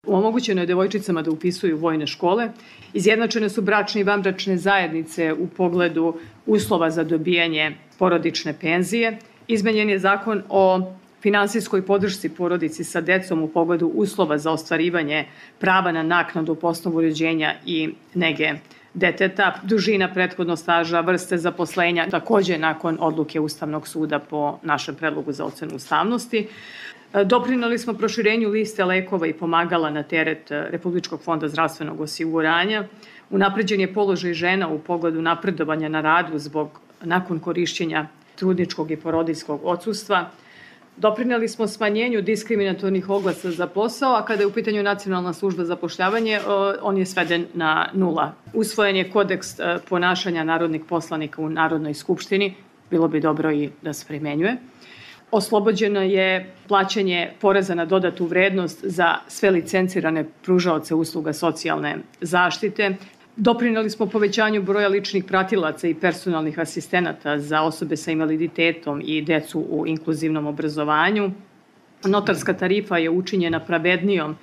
Omogućeno je devojčicama da upisuju vojne škole, izjednačene su bračne i vanbračne zajednice u pogledu uslova za dobijanje porodične penzije, izmenjen je zakon o finansijskoj podršci porodici sa decom u pogledu uslova za ostvarivanje prava na naknadu po osnovu rođenja i nege deteta, dužina prethodnog staža, vrste zaposlenja, takođe nakon odluke Ustavnog suda po našem predlogu za ocenu ustavnosti. Doprineli smo proširenju liste lekova i pomagala na teret Republičkog fonda zdravstvenog osiguranja. Unapređen je položaj žena u pogledu napredovanja na radu nakon korišćenja trudničkog i porodiljskog odsustva. Doprineli smo smanjenju diskriminatornih oglasa za posao, a kada je u pitanju Nacionalna služba za zapošljavanje, on je sveden na 0. Usvojen je kodeks ponašanja narodnih poslanika u Narodnoj skupštini, bilo bi dobro i da se primenjuje. Oslobođeno je plaćanje poreza na dodatu vrednost za sve licencirane pružaoce usluga socijalne zaštite. Doprineli smo povećanju broja ličnih pratilaca i personalnih asistenata za osobe sa invaliditetom i decu u inkluzivnom obrazovanju. Notarska tarifa je učinjena pravednijom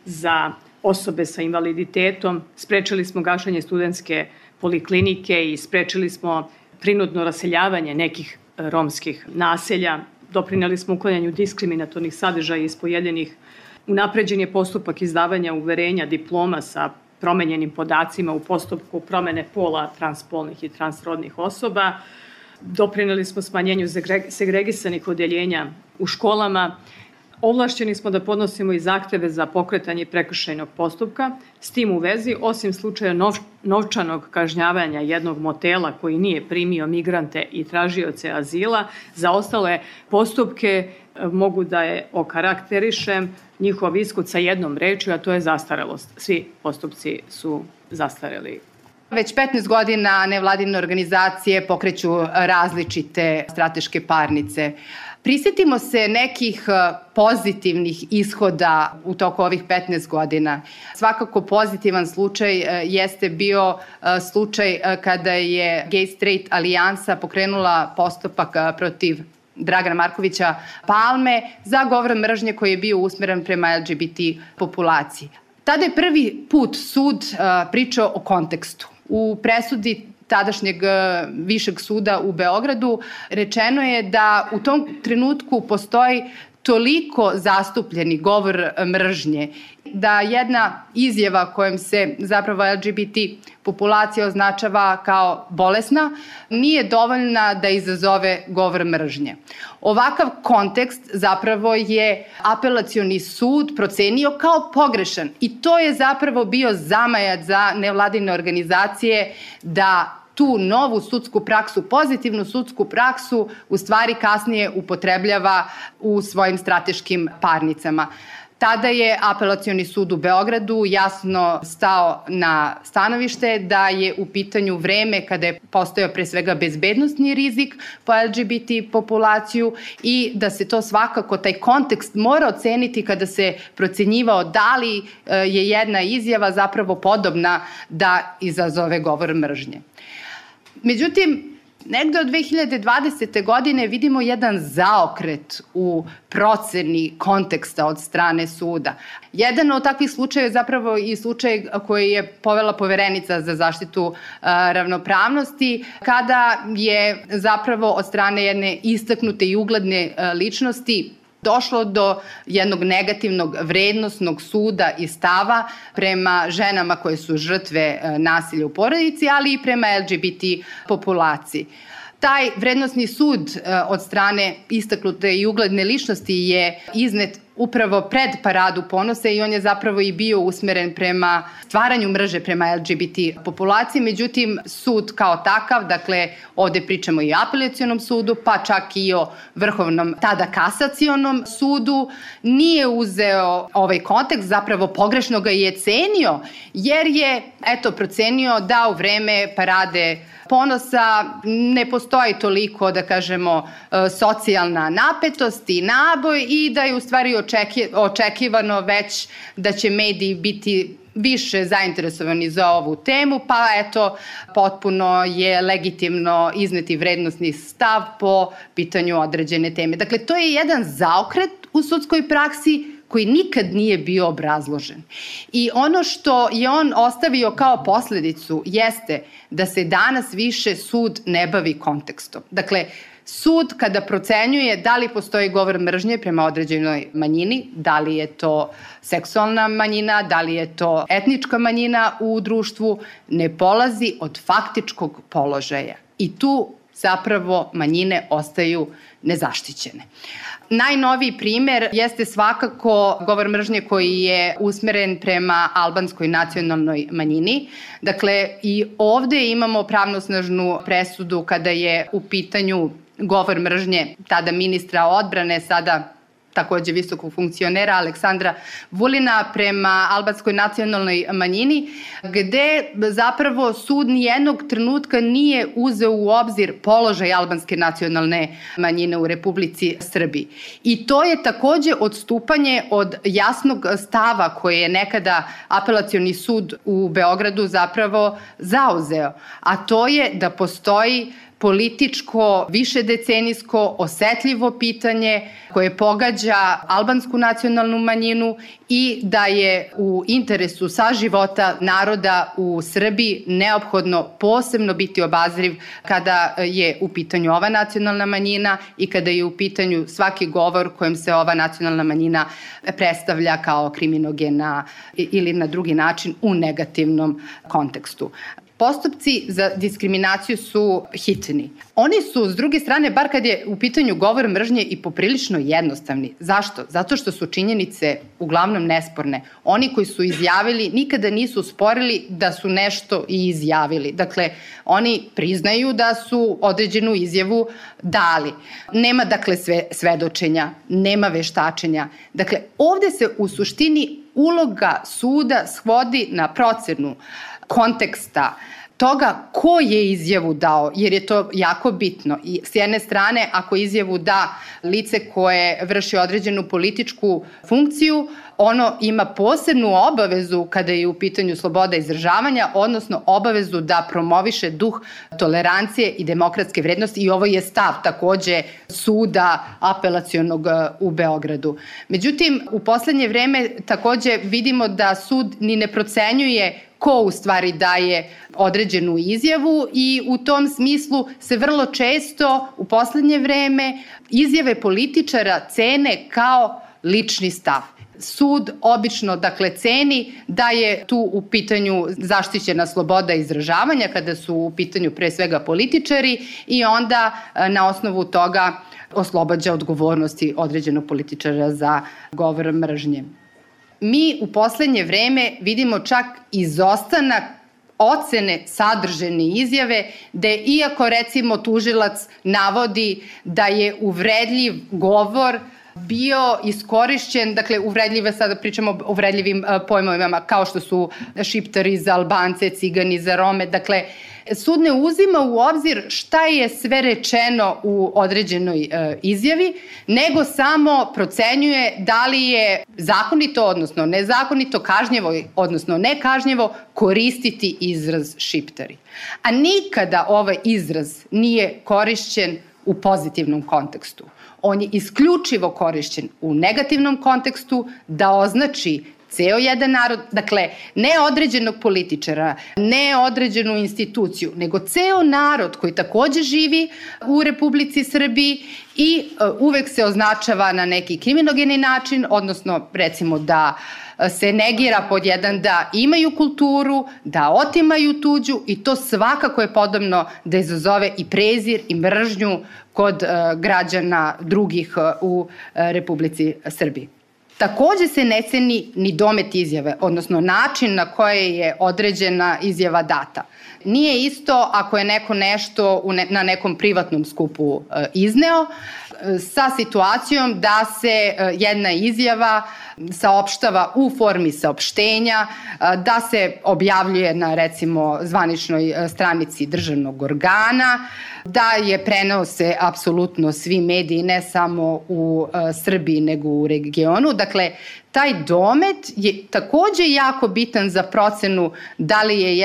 za osobe sa invaliditetom. Sprečili smo gašenje studentske poliklinike i sprečili smo prinudno raseljavanje nekih romskih naselja. Doprineli smo uklanjanju diskriminatornih sadržaja iz pojedinih. Unapređen je postupak izdavanja uverenja diploma sa promenjenim podacima u postupku promene pola transpolnih i transrodnih osoba. Doprineli smo smanjenju segregisanih odeljenja u školama. Ovlašćeni smo da podnosimo i zahteve za pokretanje prekršajnog postupka. S tim u vezi, osim slučaja novčanog kažnjavanja jednog motela koji nije primio migrante i tražioce azila, za ostale postupke mogu da je okarakterišem njihov ishod sa jednom rečju, a to je zastarelost. Svi postupci su zastareli. Već 15 godina nevladine organizacije pokreću različite strateške parnice. Prisjetimo se nekih pozitivnih ishoda u toku ovih 15 godina. Svakako pozitivan slučaj jeste bio slučaj kada je Gay Straight alijansa pokrenula postupak protiv Dragana Markovića Palme za govor mržnje koji je bio usmeren prema LGBT populaciji. Tada je prvi put sud pričao o kontekstu. U presudi tadašnjeg Višeg suda u Beogradu rečeno je da u tom trenutku postoji toliko zastupljeni govor mržnje, da jedna izjava kojom se zapravo LGBT populacija označava kao bolesna nije dovoljna da izazove govor mržnje. Ovakav kontekst zapravo je apelacioni sud procenio kao pogrešan i to je zapravo bio zamajac za nevladine organizacije da tu novu sudsku praksu, pozitivnu sudsku praksu, u stvari kasnije upotrebljava u svojim strateškim parnicama. Tada je apelacioni sud u Beogradu jasno stao na stanovište da je u pitanju vreme kada je postojao pre svega bezbednosni rizik po LGBT populaciju i da se to svakako, taj kontekst mora oceniti kada se procenjivao da li je jedna izjava zapravo podobna da izazove govor mržnje. Međutim, negde od 2020. godine vidimo jedan zaokret u proceni konteksta od strane suda. Jedan od takvih slučaja je zapravo i slučaj koji je povela Poverenica za zaštitu ravnopravnosti, kada je zapravo od strane jedne istaknute i ugledne ličnosti došlo do jednog negativnog vrednosnog suda i stava prema ženama koje su žrtve nasilja u porodici, ali i prema LGBT populaciji. Taj vrednosni sud od strane istaknute i ugledne ličnosti je iznet upravo pred Paradu ponosa i on je zapravo i bio usmeren prema stvaranju mržnje prema LGBT populaciji. Međutim, sud kao takav, dakle ovde pričamo i o apelacionom sudu, pa čak i o Vrhovnom, tada kasacionom sudu, nije uzeo ovaj kontekst, zapravo pogrešno ga je cenio, jer je procenio da u vreme Parade ponosa ne postoji toliko, da kažemo, socijalna napetost i naboj i da je u stvari očekivano već da će mediji biti više zainteresovani za ovu temu, pa potpuno je legitimno izneti vrednosni stav po pitanju određene teme. Dakle, to je jedan zaokret u sudskoj praksi koji nikad nije bio obrazložen. I ono što je on ostavio kao posledicu jeste da se danas više sud ne bavi kontekstom. Dakle, sud kada procenjuje da li postoji govor mržnje prema određenoj manjini, da li je to seksualna manjina, da li je to etnička manjina u društvu, ne polazi od faktičkog položaja. I tu zapravo manjine ostaju nezaštićene. Najnoviji primer jeste svakako govor mržnje koji je usmeren prema albanskoj nacionalnoj manjini. Dakle, i ovde imamo pravnosnažnu presudu kada je u pitanju govor mržnje tada ministra odbrane, sada takođe visokog funkcionera Aleksandra Vulina prema albanskoj nacionalnoj manjini, gde zapravo sud nijednog trenutka nije uzeo u obzir položaj albanske nacionalne manjine u Republici Srbiji. I to je takođe odstupanje od jasnog stava koje je nekada Apelacioni sud u Beogradu zapravo zauzeo, a to je da postoji političko, višedecenijsko, osetljivo pitanje koje pogađa albansku nacionalnu manjinu i da je u interesu saživota naroda u Srbiji neophodno posebno biti obazriv kada je u pitanju ova nacionalna manjina i kada je u pitanju svaki govor kojim se ova nacionalna manjina predstavlja kao kriminogena ili na drugi način u negativnom kontekstu. Postupci za diskriminaciju su hitni. Oni su, s druge strane, bar kad je u pitanju govor mržnje, i poprilično jednostavni. Zašto? Zato što su činjenice uglavnom nesporne. Oni koji su izjavili nikada nisu sporili da su nešto i izjavili. Dakle, oni priznaju da su određenu izjavu dali. Nema, dakle, svedočenja, nema veštačenja. Dakle, ovde se u suštini uloga suda svodi na procenu konteksta toga ko je izjavu dao, jer je to jako bitno. I s jedne strane, ako izjavu da lice koje vrši određenu političku funkciju, ono ima posebnu obavezu kada je u pitanju sloboda izražavanja, odnosno obavezu da promoviše duh tolerancije i demokratske vrednosti, i ovo je stav takođe suda apelacionog u Beogradu. Međutim, u poslednje vreme takođe vidimo da sud ni ne procenjuje ko u stvari daje određenu izjavu i u tom smislu se vrlo često u poslednje vreme izjave političara cene kao lični stav. Sud obično, dakle, ceni da je tu u pitanju zaštićena sloboda izražavanja kada su u pitanju pre svega političari i onda na osnovu toga oslobađa odgovornosti određenog političara za govor mržnje. Mi u poslednje vreme vidimo čak izostanak ocene sadržene izjave, gde iako recimo tužilac navodi da je uvredljiv govor bio iskorišćen, dakle uvredljive, sada pričamo o uvredljivim pojmovima kao što su šiptari za Albance, cigani za Rome, dakle sud ne uzima u obzir šta je sve rečeno u određenoj izjavi, nego samo procenjuje da li je zakonito, odnosno nezakonito, kažnjevo, odnosno nekažnjevo koristiti izraz šiptari. A nikada ovaj izraz nije korišćen u pozitivnom kontekstu. On je isključivo korišćen u negativnom kontekstu da označi ceo jedan narod, dakle, ne određenog političara, ne određenu instituciju, nego ceo narod koji takođe živi u Republici Srbiji i uvek se označava na neki kriminogeni način, odnosno recimo da se negira pod jedan da imaju kulturu, da otimaju tuđu i to svakako je podobno da izazove i prezir i mržnju kod građana drugih u Republici Srbiji. Takođe se ne ceni ni domet izjave, odnosno način na koje je određena izjava data. Nije isto ako je neko nešto na nekom privatnom skupu izneo, sa situacijom da se jedna izjava saopštava u formi saopštenja, da se objavljuje na recimo zvaničnoj stranici državnog organa, da je prenose apsolutno svi mediji, ne samo u Srbiji nego u regionu. Dakle, taj domet je takođe jako bitan za procenu da li je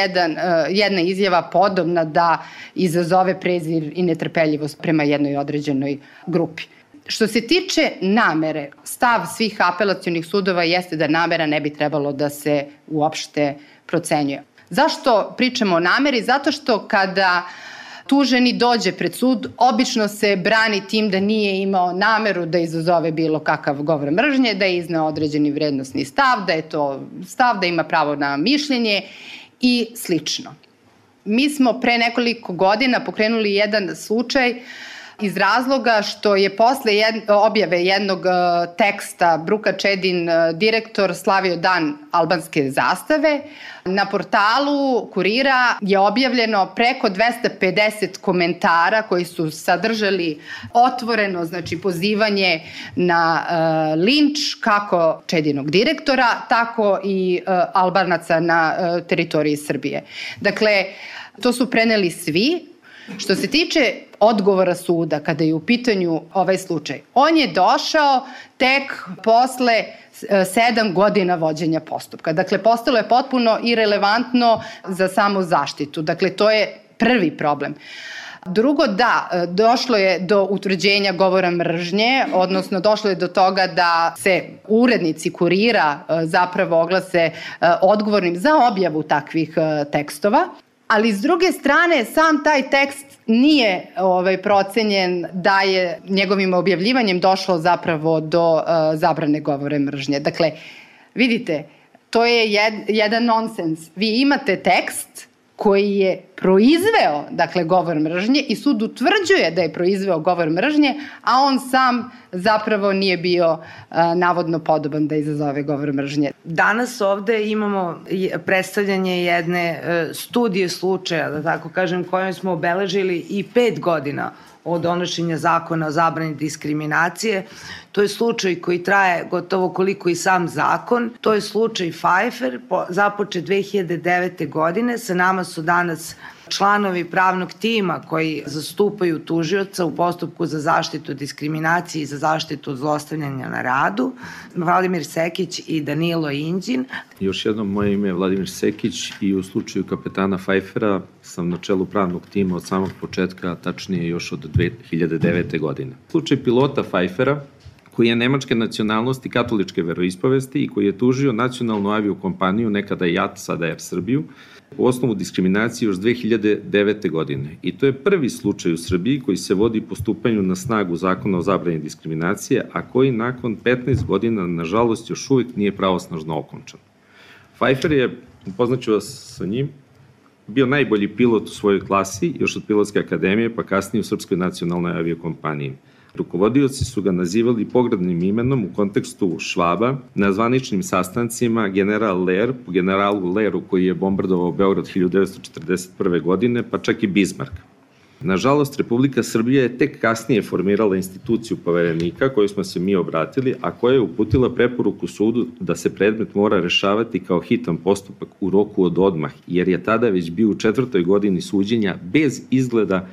jedna izjava podobna da izazove prezir i netrpeljivost prema jednoj određenoj grupi. Što se tiče namere, stav svih apelacionih sudova jeste da namera ne bi trebalo da se uopšte procenjuje. Zašto pričamo o nameri? Zato što kada tuženi dođe pred sud, obično se brani tim da nije imao nameru da izazove bilo kakav govor mržnje, da je izneo određeni vrednosni stav, da je to stav, da ima pravo na mišljenje i slično. Mi smo pre nekoliko godina pokrenuli jedan slučaj iz razloga što je posle objave jednog teksta Bruka Čedin, direktor, slavio dan albanske zastave. Na portalu Kurira je objavljeno preko 250 komentara koji su sadržali otvoreno, znači pozivanje na linč kako Čedinog direktora, tako i Albanaca na teritoriji Srbije. Dakle, to su preneli svi. Što se tiče odgovora suda kada je u pitanju ovaj slučaj, on je došao tek posle 7 godina vođenja postupka. Dakle, postalo je potpuno irelevantno za samu zaštitu. Dakle, to je prvi problem. Drugo, da, došlo je do utvrđenja govora mržnje, odnosno došlo je do toga da se urednici Kurira zapravo oglase odgovornim za objavu takvih tekstova. Ali s druge strane, sam taj tekst nije procenjen da je njegovim objavljivanjem došlo zapravo do zabrane govora mržnje. Dakle, vidite, to je jedan nonsens. Vi imate tekst koji je proizveo, dakle, govor mržnje i sud utvrđuje da je proizveo govor mržnje, a on sam zapravo nije bio navodno podoban da izazove govor mržnje. Danas ovde imamo predstavljanje jedne studije slučaja, da tako kažem, kojom smo obeležili i 5 godina od donošenja zakona o zabrani diskriminacije. To je slučaj koji traje gotovo koliko i sam zakon. To je slučaj Pfeiffer, započet 2009. godine. Sa nama su danas članovi pravnog tima koji zastupaju tužioca u postupku za zaštitu diskriminacije i za zaštitu od zlostavljanja na radu, Vladimir Sekić i Danilo Inđin. Još jednom, moje ime je Vladimir Sekić i u slučaju kapetana Pfeiffera sam na čelu pravnog tima od samog početka, tačnije još od 2009. godine. Slučaj pilota Pfeiffera, koji je nemačke nacionalnosti katoličke veroispovesti i koji je tužio nacionalnu aviokompaniju, nekada JAT, sada Air Srbiju, u osnovu diskriminacije još 2009. godine. I to je prvi slučaj u Srbiji koji se vodi po stupanju na snagu zakona o zabrani diskriminacije, a koji nakon 15 godina, nažalost, još uvijek nije pravosnažno okončan. Pfeiffer je, upoznaću vas sa njim, bio najbolji pilot u svojoj klasi, još od Pilotske akademije, pa kasnije u Srpskoj nacionalnoj aviokompaniji. Rukovodioci su ga nazivali pogrdnim imenom u kontekstu Švaba, na zvaničnim sastancima general Ler, po generalu Leru koji je bombardovao Beograd 1941. godine, pa čak i Bismarck. Nažalost, Republika Srbija je tek kasnije formirala instituciju poverenika koju smo se mi obratili, a koja je uputila preporuku sudu da se predmet mora rešavati kao hitan postupak u roku od odmah, jer je tada već bio u 4. godini suđenja bez izgleda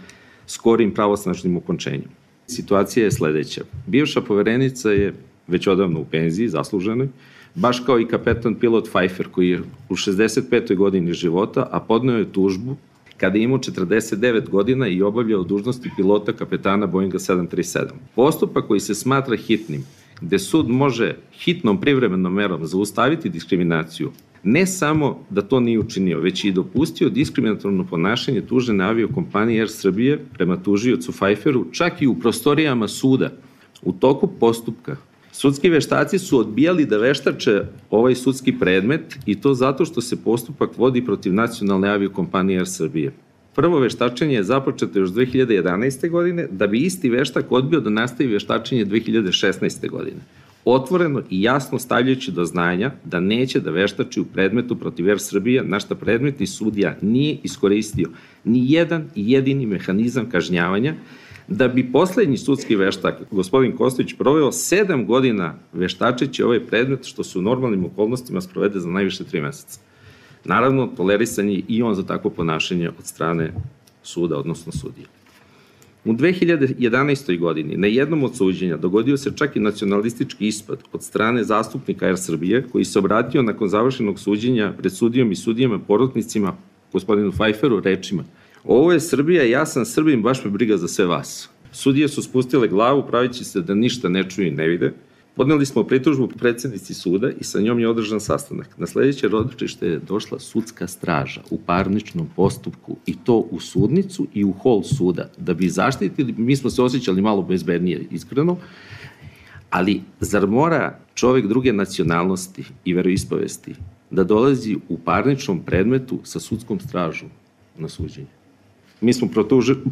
skorim pravosnažnim okončenjem. Situacija je sledeća. Bivša poverenica je već odavno u penziji, zasluženoj, baš kao i kapetan pilot Pfeiffer koji je u 65. godini života, a podneo je tužbu kada je imao 49 godina i obavljao dužnosti pilota kapetana Boeinga 737. Postupak koji se smatra hitnim, gde sud može hitnom privremenom merom zaustaviti diskriminaciju, ne samo da to nije učinio, već i dopustio diskriminatorno ponašanje tužene aviokompanije Air Srbije prema tužiocu Pfeifferu, čak i u prostorijama suda. U toku postupka sudski veštaci su odbijali da veštače ovaj sudski predmet i to zato što se postupak vodi protiv nacionalne aviokompanije Air Srbije. Prvo veštačenje je započeto još 2011. godine, da bi isti veštak odbio da nastavi veštačenje 2016. godine. Otvoreno i jasno stavljajući do znanja da neće da veštači u predmetu protiv Air Srbije, na šta predmetni sudija nije iskoristio ni jedan jedini mehanizam kažnjavanja, da bi poslednji sudski veštak, gospodin Kostović, proveo 7 godina veštačeći ovaj predmet, što se u normalnim okolnostima sprovede za najviše 3 meseca. Naravno, tolerisan je i on za takvo ponašanje od strane suda, odnosno sudija. U 2011. godini na jednom od suđenja dogodio se čak i nacionalistički ispad od strane zastupnika Air Srbije, koji se obratio nakon završenog suđenja pred sudijom i sudijama porotnicima, gospodinu Pfeifferu, rečima: "Ovo je Srbija, ja sam Srbin, baš me briga za sve vas." Sudije su spustile glavu pravići se da ništa ne čuju i ne vide. Podneli smo pritužbu predsjednici suda i sa njom je održan sastanak. Na sledeće ročište je došla sudska straža u parničnom postupku i to u sudnicu i u hol suda. Da bi zaštitili, mi smo se osjećali malo bezbednije, iskreno, ali zar mora čovek druge nacionalnosti i veroispovesti da dolazi u parničnom predmetu sa sudskom stražom na suđenje? Mi smo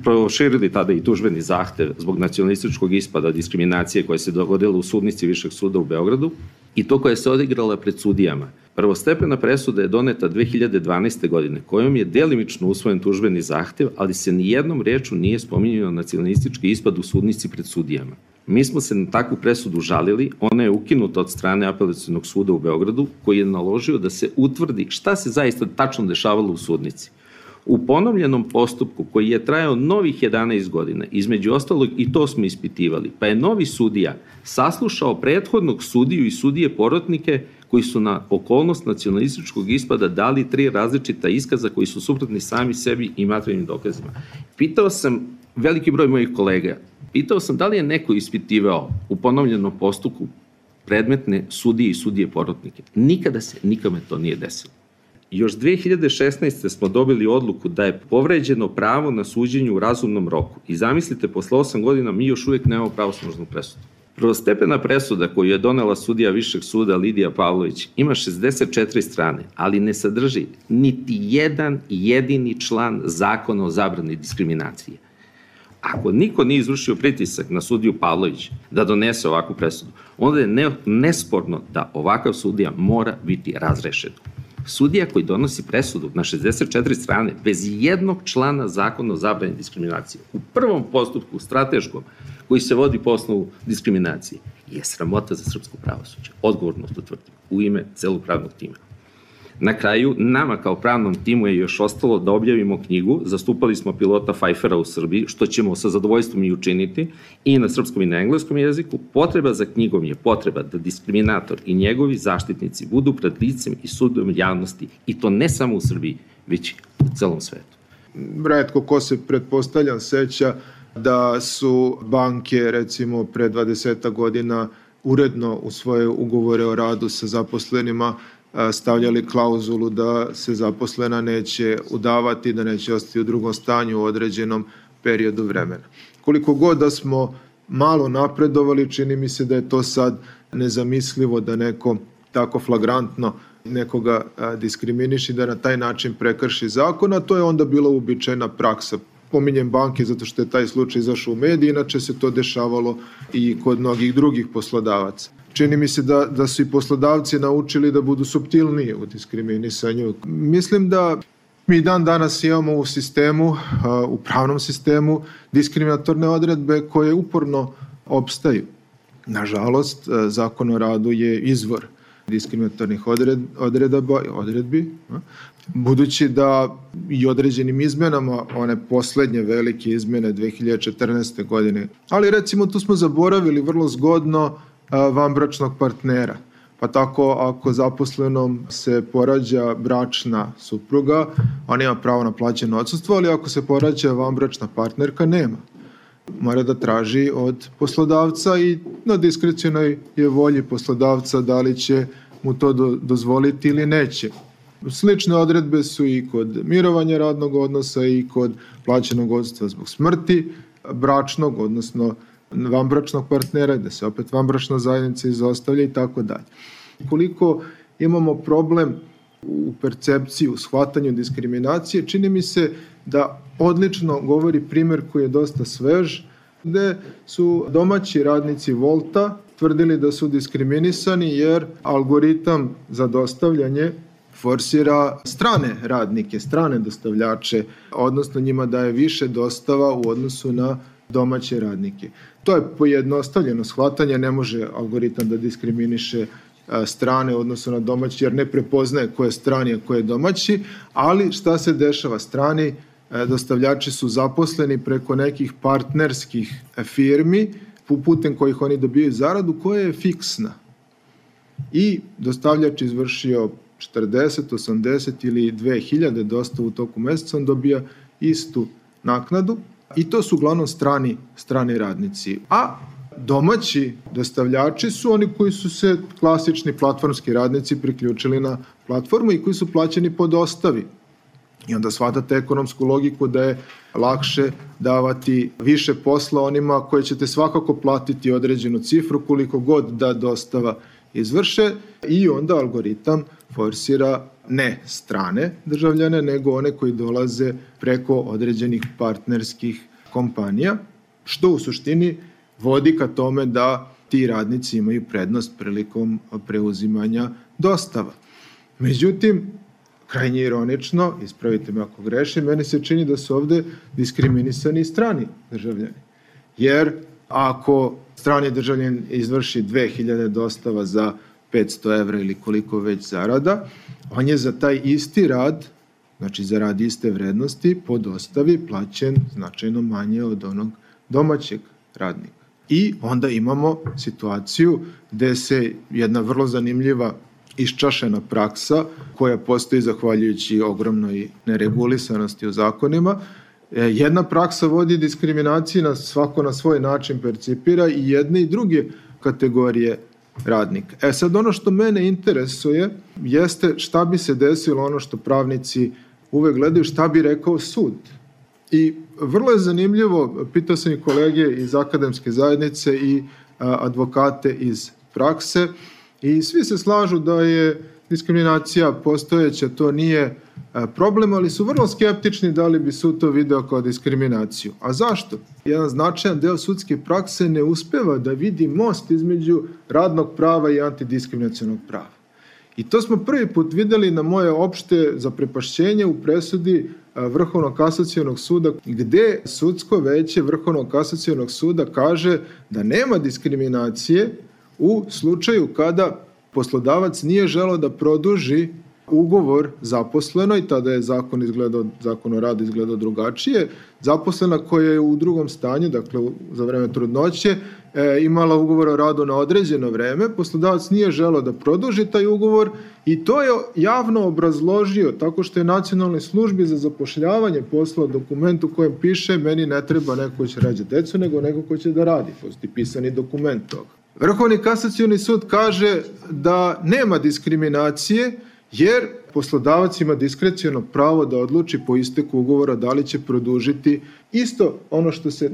proširili tada i tužbeni zahtev zbog nacionalističkog ispada diskriminacije koja se dogodila u sudnici Višeg suda u Beogradu i to koja se odigrala pred sudijama. Prvostepena presuda je doneta 2012. godine, kojom je delimično usvojen tužbeni zahtev, ali se nijednom rečju nije spominjao nacionalistički ispad u sudnici pred sudijama. Mi smo se na takvu presudu žalili, ona je ukinuta od strane Apelacionog suda u Beogradu, koji je naložio da se utvrdi šta se zaista tačno dešavalo u sudnici. U ponovljenom postupku koji je trajao novih 11 godina, između ostalog i to smo ispitivali, pa je novi sudija saslušao prethodnog sudiju i sudije porotnike koji su na okolnost nacionalističkog ispada dali 3 različita iskaza koji su suprotni sami sebi i materijalnim dokazima. Pitao sam veliki broj mojih kolega, da li je neko ispitivao u ponovljenom postupku predmetne sudije i sudije porotnike. Nikada se nikome to nije desilo. Još 2016. smo dobili odluku da je povređeno pravo na suđenje u razumnom roku. I zamislite, posle 8 godina mi još uvijek nemamo pravosnažnu presudu. Prvostepena presuda koju je donela sudija Višeg suda Lidija Pavlović ima 64 strane, ali ne sadrži niti jedan jedini član zakona o zabrani diskriminacije. Ako niko nije izvršio pritisak na sudiju Pavlović da donese ovakvu presudu, onda je nesporno da ovakav sudija mora biti razrešen. Sudija koji donosi presudu na 64 strane bez jednog člana zakona o zabrani diskriminacije u prvom postupku, strateškom, koji se vodi po osnovu diskriminacije, je sramota za srpsko pravosuđe. Odgovorno to tvrdim, u ime celog pravnog tima. Na kraju, nama kao pravnom timu je još ostalo da objavimo knjigu, zastupali smo pilota Pfeiffera u Srbiji, što ćemo sa zadovoljstvom i učiniti, i na srpskom i na engleskom jeziku. Potreba za knjigom je potreba da diskriminator i njegovi zaštitnici budu pred licem i sudom javnosti, i to ne samo u Srbiji, već u celom svetu. Retko ko se, pretpostavljam, seća da su banke, recimo, pre 20 godina uredno u svoje ugovore o radu sa zaposlenima stavljali klauzulu da se zaposlena neće udavati, da neće ostati u drugom stanju u određenom periodu vremena. Koliko god da smo malo napredovali, čini mi se da je to sad nezamislivo da neko tako flagrantno nekoga diskriminiši, da na taj način prekrši zakon, a to je onda bila uobičajena praksa. Pominjem banke zato što je taj slučaj izašao u mediji, inače se to dešavalo i kod mnogih drugih poslodavaca. Čini mi se da su i poslodavci naučili da budu suptilniji u diskriminisanju. Mislim da mi dan danas imamo u sistemu, u pravnom sistemu, diskriminatorne odredbe koje uporno opstaju. Nažalost, Zakon o radu je izvor diskriminatornih odredbi, budući da i određenim izmenama, one poslednje velike izmene 2014. godine, ali recimo tu smo zaboravili vrlo zgodno vanbračnog partnera. Pa tako, ako zaposlenom se porađa bračna supruga, on ima pravo na plaćeno odsustvo, ali ako se porađa vanbračna partnerka, nema. Mora da traži od poslodavca i na diskrecionoj je volji poslodavca da li će mu to dozvoliti ili neće. Slične odredbe su i kod mirovanja radnog odnosa i kod plaćenog odsustva zbog smrti bračnog, odnosno vanbračnog partnera, gde se opet vanbračna zajednica izostavlja i tako dalje. Koliko imamo problem u percepciji, u shvatanju diskriminacije, čini mi se da odlično govori primer koji je dosta svež, gde su domaći radnici Volta tvrdili da su diskriminisani jer algoritam za dostavljanje forsira strane radnike, strane dostavljače, odnosno njima daje više dostava u odnosu na domaće radnike. To je pojednostavljeno shvatanje, ne može algoritam da diskriminiše strane u odnosu na domaći, jer ne prepoznaje ko je strani, a ko je domaći, ali šta se dešava? Strani dostavljači su zaposleni preko nekih partnerskih firmi, putem kojih oni dobijaju zaradu, koja je fiksna. I dostavljač izvršio 40, 80 ili 2000 dostavu u toku meseca, on dobija istu naknadu, i to su uglavnom strani radnici. A domaći dostavljači su oni koji su se klasični platformski radnici priključili na platformu i koji su plaćeni po dostavi. I onda shvatate ekonomsku logiku da je lakše davati više posla onima koje ćete svakako platiti određenu cifru koliko god da dostava izvrše i onda algoritam forsira ne strane državljane, nego one koji dolaze preko određenih partnerskih kompanija, što u suštini vodi ka tome da ti radnici imaju prednost prilikom preuzimanja dostava. Međutim, krajnje ironično, ispravite me ako grešim, meni se čini da su ovde diskriminisani strani državljani. Jer ako strani državljan izvrši 2000 dostava za 500 evra ili koliko već zarada, on je za taj isti rad, znači za rad iste vrednosti, po dostavi plaćen značajno manje od onog domaćeg radnika. I onda imamo situaciju gde se jedna vrlo zanimljiva iščašena praksa koja postoji zahvaljujući ogromnoj neregulisanosti u zakonima. Jedna praksa vodi diskriminaciji, svako na svoj način percipira i jedne i druge kategorije radnika. Sad ono što mene interesuje jeste šta bi se desilo, ono što pravnici uvek gledaju, šta bi rekao sud. I vrlo je zanimljivo, pitao sam i kolege iz akademske zajednice i advokate iz prakse, i svi se slažu da je diskriminacija postojeća, to nije problem, ali su vrlo skeptični da li bi sud to video kao diskriminaciju. A zašto? Jedan značajan deo sudske prakse ne uspeva da vidi most između radnog prava i antidiskriminacionog prava. I to smo prvi put videli na moje opšte zaprepašćenje u presudi Vrhovnog kasacionog suda, gde sudsko veće Vrhovnog kasacionog suda kaže da nema diskriminacije u slučaju kada poslodavac nije želeo da produži ugovor zaposlenoj, tada je zakon o radu izgledao drugačije, zaposlena koja je u drugom stanju, dakle za vreme trudnoće, imala ugovor o radu na određeno vreme, poslodavac nije želeo da produži taj ugovor i to je javno obrazložio tako što je Nacionalnoj službi za zapošljavanje poslao dokument u kojem piše meni ne treba neko ko će rađati decu, nego neko ko će da radi. Postoji pisani dokument toga. Vrhovni kasacioni sud kaže da nema diskriminacije jer poslodavac ima diskreciono pravo da odluči po isteku ugovora da li će produžiti isto ono što se,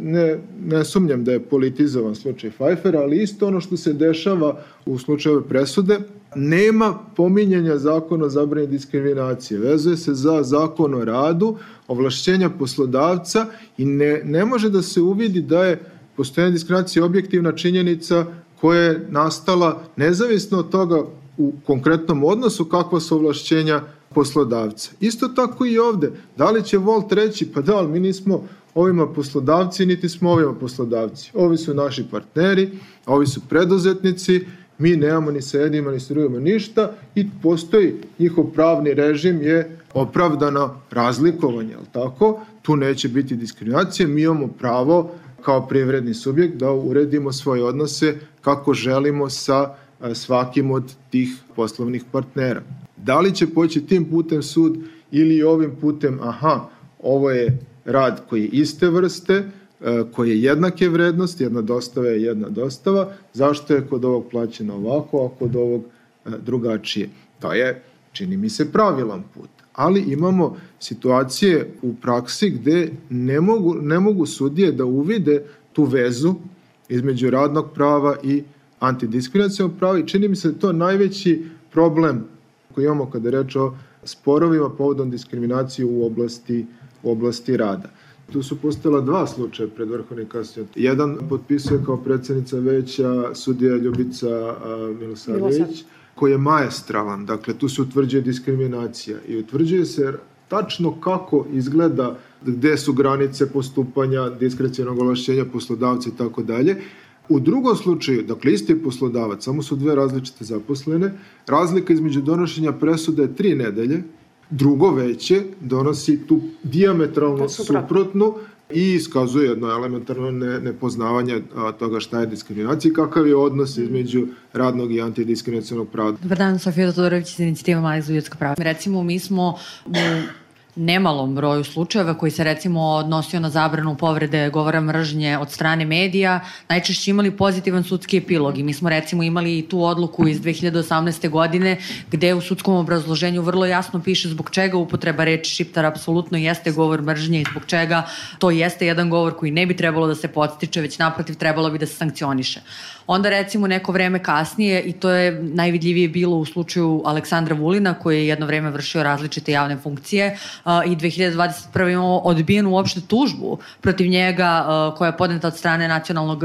ne sumnjam da je politizovan slučaj Pfeiffera, ali isto ono što se dešava u slučaju presude, nema pominjanja zakona o zabrani diskriminacije. Vezuje se za zakon o radu, ovlašćenja poslodavca i ne može da se uvidi da je postojanje diskriminacije objektivna činjenica koja je nastala nezavisno od toga u konkretnom odnosu kakva su ovlašćenja poslodavca. Isto tako i ovde. Da li će Volt reći, pa da, ali mi nismo ovima poslodavci, niti smo ovima poslodavci. Ovi su naši partneri, ovi su preduzetnici, mi nemamo ni sa jednima ni sa drugima ništa i postoji njihov pravni režim je opravdano razlikovanje, ali tako? Tu neće biti diskriminacije, mi imamo pravo kao privredni subjekt da uredimo svoje odnose kako želimo sa svakim od tih poslovnih partnera. Da li će poći tim putem sud ili ovim putem, ovo je rad koji je iste vrste, koji je jednake vrednosti, jedna dostava je jedna dostava, zašto je kod ovog plaćeno ovako, a kod ovog drugačije? To je, čini mi se, pravilan put. Ali imamo situacije u praksi gde ne mogu sudije da uvide tu vezu između radnog prava i antidiskriminacionog prava i čini mi se da je to najveći problem koji imamo kada je reč o sporovima povodom diskriminacije u oblasti rada. Tu su postojala dva slučaja pred Vrhovnim kasacionim. Jedan potpisuje kao predsednica veća sudija Ljubica Milosavljević, koji je maestralan. Dakle, tu se utvrđuje diskriminacija i utvrđuje se tačno kako izgleda, gde su granice postupanja, diskrecionog ovlašćenja poslodavca i tako dalje. U drugom slučaju, dakle isti je poslodavac, samo su dve različite zaposlene, razlika između donošenja presude je 3 nedelje, drugo veće donosi tu dijametralno suprotnu i iskazuje jedno elementarno nepoznavanje toga šta je diskriminacija i kakav je odnos između radnog i antidiskriminacionog prava. Dobar dan, Sofija Todorović iz Inicijativa Mali za ljudska prava. Recimo, mi smo u nemalom broju slučajeva koji se recimo odnosio na zabranu povrede govora mržnje od strane medija, najčešće imali pozitivan sudski epilog i mi smo recimo imali i tu odluku iz 2018. godine gde u sudskom obrazloženju vrlo jasno piše zbog čega upotreba reči šiptar apsolutno jeste govor mržnje i zbog čega to jeste jedan govor koji ne bi trebalo da se podstiče, već naprotiv trebalo bi da se sankcioniše. Onda recimo neko vreme kasnije, i to je najvidljivije bilo u slučaju Aleksandra Vulina koji je jedno vreme vršio različite javne funkcije i 2021. imamo odbijenu uopšte tužbu protiv njega koja je podneta od strane Nacionalnog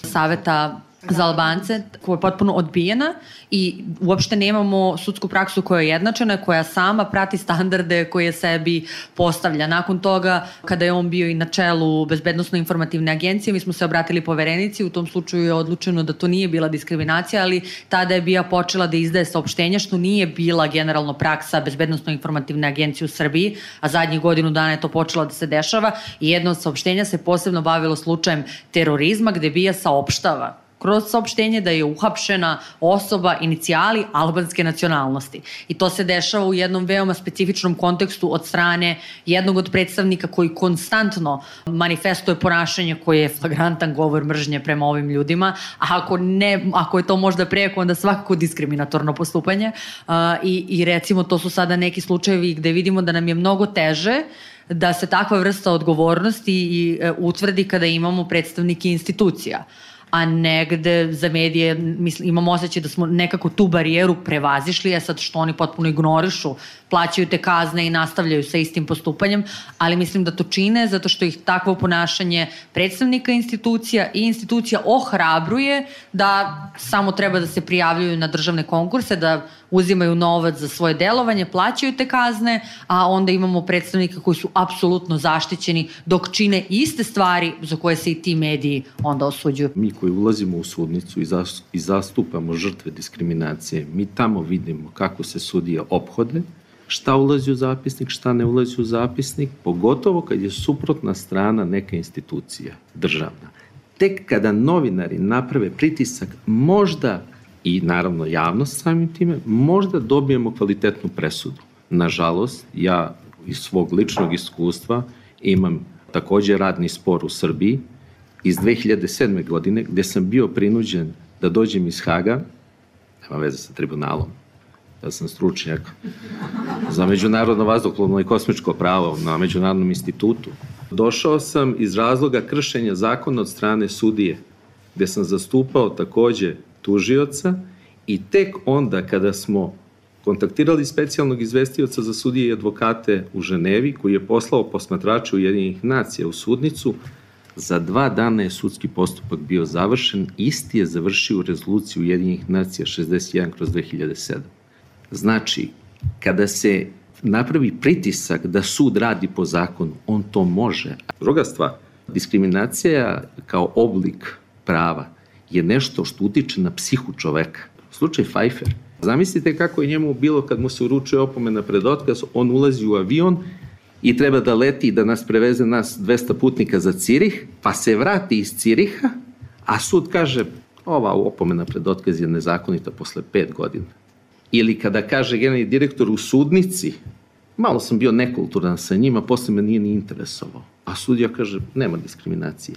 saveta za Albance, koja je potpuno odbijena i uopšte nemamo sudsku praksu koja je jednačena, koja sama prati standarde koje sebi postavlja. Nakon toga, kada je on bio i na čelu Bezbednosno-informativne agencije, mi smo se obratili poverenici, u tom slučaju je odlučeno da to nije bila diskriminacija, ali tada je BIA počela da izdaje saopštenja, što nije bila generalno praksa Bezbednosno-informativne agencije u Srbiji, a zadnjih godinu dana je to počelo da se dešava i jedno od saopštenja se posebno bavilo slučajem terorizma, gde BIA saopštava kroz saopštenje da je uhapšena osoba inicijali albanske nacionalnosti. I to se dešava u jednom veoma specifičnom kontekstu od strane jednog od predstavnika koji konstantno manifestuje ponašanje koje je flagrantan govor mržnje prema ovim ljudima, a ako je to možda preko, onda svakako diskriminatorno postupanje. I recimo to su sada neki slučajevi gde vidimo da nam je mnogo teže da se takva vrsta odgovornosti i utvrdi kada imamo predstavnike institucija, a negde za medije imamo osjećaj da smo nekako tu barijeru prevazišli, sad što oni potpuno ignorišu, plaćaju te kazne i nastavljaju sa istim postupanjem, ali mislim da to čine zato što ih takvo ponašanje predstavnika institucija i institucija ohrabruje da samo treba da se prijavljuju na državne konkurse, da uzimaju novac za svoje delovanje, plaćaju te kazne, a onda imamo predstavnika koji su apsolutno zaštićeni dok čine iste stvari za koje se i ti mediji onda osuđuju. Mi koji ulazimo u sudnicu i zastupamo žrtve diskriminacije, mi tamo vidimo kako se sudije ophode, šta ulazi u zapisnik, šta ne ulazi u zapisnik, pogotovo kad je suprotna strana neka institucija državna. Tek kada novinari naprave pritisak, možda i naravno javnost samim time, možda dobijemo kvalitetnu presudu. Nažalost, ja iz svog ličnog iskustva imam takođe radni spor u Srbiji iz 2007. godine gde sam bio prinuđen da dođem iz Haga, nema veze sa tribunalom, ja sam stručnjak za međunarodno vazduhoplovno i kosmičko pravo na Međunarodnom institutu. Došao sam iz razloga kršenja zakona od strane sudije, gde sam zastupao takođe tužioca i tek onda kada smo kontaktirali specijalnog izvestioca za sudije i advokate u Ženevi, koji je poslao posmatrače Ujedinjenih nacija u sudnicu, za 2 dana je sudski postupak bio završen, isti je završio u rezoluciji Ujedinjenih nacija 61/2007. Znači, kada se napravi pritisak da sud radi po zakonu, on to može. Druga stvar, diskriminacija kao oblik prava je nešto što utiče na psihu čoveka. Slučaj Pfeiffer. Zamislite kako je njemu bilo kad mu se uručuje opomena pred otkaz, on ulazi u avion i treba da leti da nas preveze nas 200 putnika za Cirih, pa se vrati iz Ciriha, a sud kaže ova opomena pred otkaz je nezakonita posle 5 godina. Ili kada kaže generalni direktor u sudnici, malo sam bio nekulturan sa njima, posle me nije ni interesovao. A sudija kaže, nema diskriminacije.